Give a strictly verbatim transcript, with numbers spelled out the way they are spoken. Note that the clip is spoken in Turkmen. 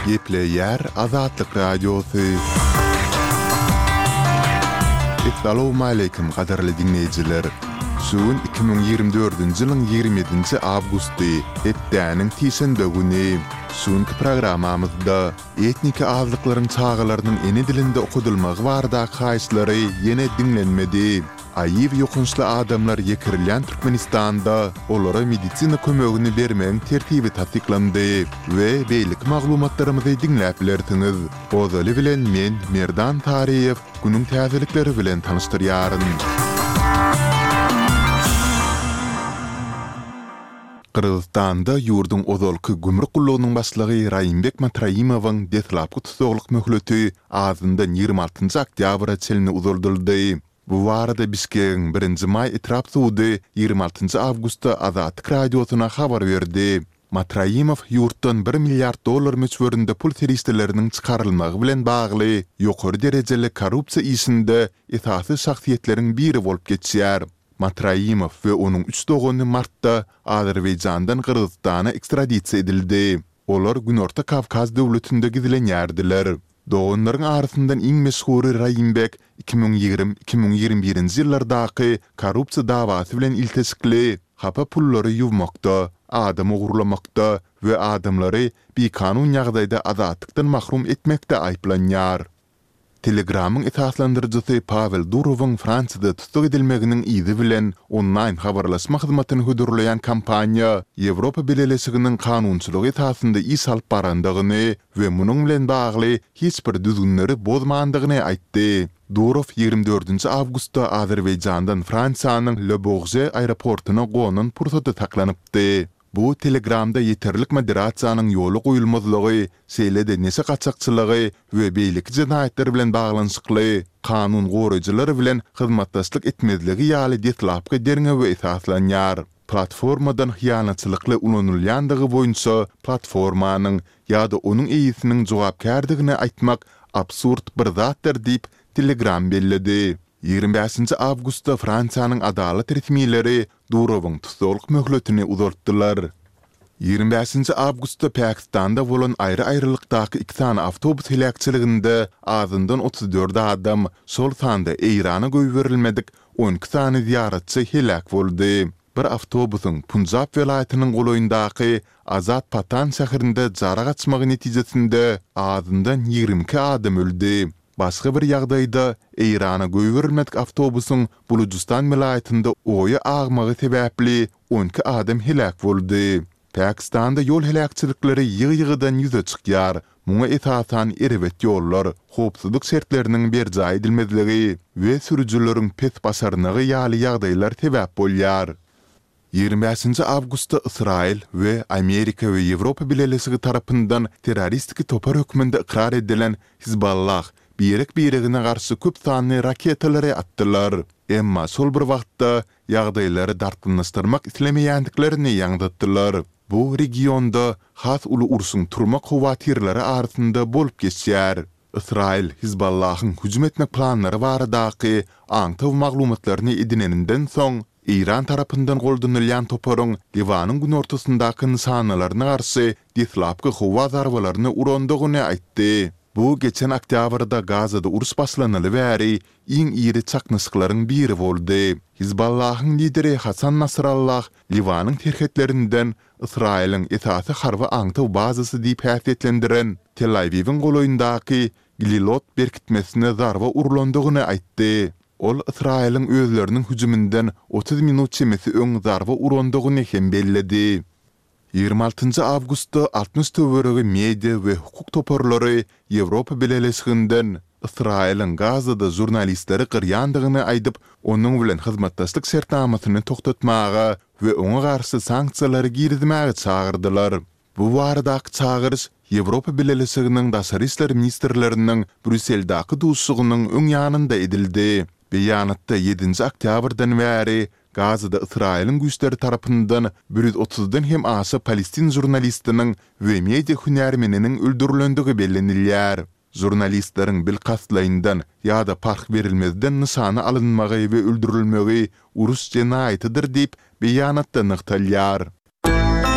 Gepleýär Azatlyk Radiosy. Essalawmaleýkim gadyrly diňleýjiler! Şu gün iki müň ýigrimi dördünji ýylyň ýigrimi ýedinji awgusty, hepdäniň sişenbe güni. Şu günki programmamyzda etniki azlyklaryň çagalarynyň ene dilinde okadylmagy baradaky haýyşlary ýene diňlenmedi. AIW ýokançly adamlar ýekirilýän Türkmenistanda olara medisina kömegini bermegiň tertibi tassyklandy we beýleki maglumatlarymyzy diňläp bilersiňiz. Ozaly bilen men, Merdan Taryýew, günüň täzelikleri bilen tanyşdyrýaryn. Gyrgyzystanda ýurduň ozalky gümrük gullugynyň başlygy Raýymbek Matraimowyň deslapky tussaglyk möhleti azyndan ýigrimi altynjy oktýabra çenli uzaldyldy. Bu barada Bişkegiň Birinji maý etrap sudy ýigrimi altynjy awgustda Azatlyk Radiosyna habar berdi. Matraimow ýurtdan bir milliard dollar möçberinde pul serişdeleriniň çykarylmagy bilen bagly ýokary derejeli korrupsiýa işinde esasy şahsyýetleriň biri bolup geçýär. Matraimow we onuň üç dogany martda Azerbaýjandan Gyrgyzystana ekstradisiýa edildi. Olar Günorta Kawkaz döwletinde gizlenýärdiler. Doganlaryň arasyndan iň meşhury Raýimbek iki müň ýigrimi, iki müň ýigrimi birinji ýyllardaky korrupsiýa dawasy bilen ilteşikli hapa pullary ýuwmakda, adam ogurlamakda we adamlary bikanun ýagdaýda azatlykdan mahrum etmekde aýyplanýar. Telegramyň esaslandyryjysy Pawel Durowyň Fransiýada tussag edilmeginiň yzy bilen onlaýn habarlaşma hyzmatyny hödürleýän kompaniýa Ýewropa Bileleşiginiň kanunçylygy esasynda iş alyp barandygyny we munuň bilen bagly hiç bir düzgünleri bozmandygyny aýtdy. Durow ýigrimi dördünji awgustda Azerbaýjandan Fransiýanyň Le Bourget aeroportuna gonan pursady saklanypdy. Bu Telegramda ýeterlik moderasiýanyň ýola goýulmazlygy, şeýle-de neşe gaçakçylygy we beýleki jenaýatlar bilen baglanyşykly kanun goraýjylar bilen hyzmatdaşlyk etmezligi ýaly deslapky derňewe esaslanýar. Platformadan hyýanatçylykly ulanylýandygy boýunça platformanyň ýa-da onuň eýesiniň jogapkärdigini aýtmak absurd bir zatdyr diýip, Telegram belledi. Ýigrimi bäşinji awgustda Fransiýanyň adalat resmileri Durowyň tussaglyk möhletini uzaltdylar. Ýigrimi bäşinji awgustda Pakistanda bolan aýry-aýrylykdaky iki sany awtobus heläkçiliginde azyndan otuz dört adam, şol sanda Eýrana goýberilmedik on iki sany zyýaratçy heläk boldy. Bir awtobusyň Punjab welaýatynyň golaýyndaky Azad Patan şäherinde jara gaçmagy netijesinde azyndan ýigrimi iki adam öldi. Başga bir ýagdaýda, Eýrana goýberilmedik awtobusyň Bulujystan welaýatynda oýa agmagy sebäpli on iki adam heläk boldy. Pakistanda ýol heläkçilikleri ýygy-ýygydan ýüze çykýar. Muňa esasan erbet ýollar, howpsuzlyk şertleriniň berjaý edilmezligi we sürüjileriň pes başarnygy ýaly ýagdaýlar sebäp bolýar. Ýigrimi bäşinji awgustda Ysraýyl we Amerika we Ýewropa Bileleşigi tarapyndan terroristiki topar hökmünde ykrar edilen Hizballah birek-biregine garşy köp sanly raketalary atdylar. Emma şol bir wagtda ýagdaýlary dartgynlaşdyrmak islemeýändiklerini ýaňzytdylar. Bu regionda has uly urşuň turmak howatyrlary arasynda bolup geçýär. Ysraýyl Hizballahyň hüjüm etmek planlary baradaky aňtaw maglumatlaryny edineninden soň, Eýran tarapyndan goldanylýan toparyň Liwanyň günortasyndaky nyşanalaryna garşy deslapky howa zarbalaryny urandygyny aýtdy. Bu geçen oktýabrda Gazada uruş başlanaly bäri iň iri çaknyşyklaryň biri boldy. Hizballahyň lideri Hasan Nasrallah Liwanyň serhetlerinden Ysraýylyň esasy harby aňtaw bazasy diýip häsiýetlendiren Tel-Awiwiň golaýyndaky Glilot berkitmesine zarba urlandygyny aýtdy. Ol Ysraýylyň özleriniň hüjüminden otuz minut çemesi öň zarba urandygyny hem belledi. Ýigrimi altynjy awgustda altmyş töweregi media we hukuk toparlary Ýewropa Bileleşiginden Ysraýylyň Gazada žurnalistleri gyrýandygyny aýdyp, onuň bilen hyzmatdaşlyk şertnamasyny togtatmaga we oňa garşy sanksiýalary girizmäge çagyrdylar. Bu baradaky çagyryş Ýewropa Bileleşiginiň daşary işler ministrleriniň Brýusseldaky duşuşygynyň öň ýanynda edildi. Beýanatda ýedinji oktýabrdan bäri Gazada Ysraýylyň güýçleri tarapyndan bir ýüz otuzdan hem aşa palestin žurnalistiniň we media hünärmeniniň öldürilendigi bellenilýär. Žurnalistleriň bilkastlaýyndan ýa-da parh berilmezden nyşana alynmagy we öldürilmegi uruş jenaýatydyr diýip, beýanatda nygtalýar.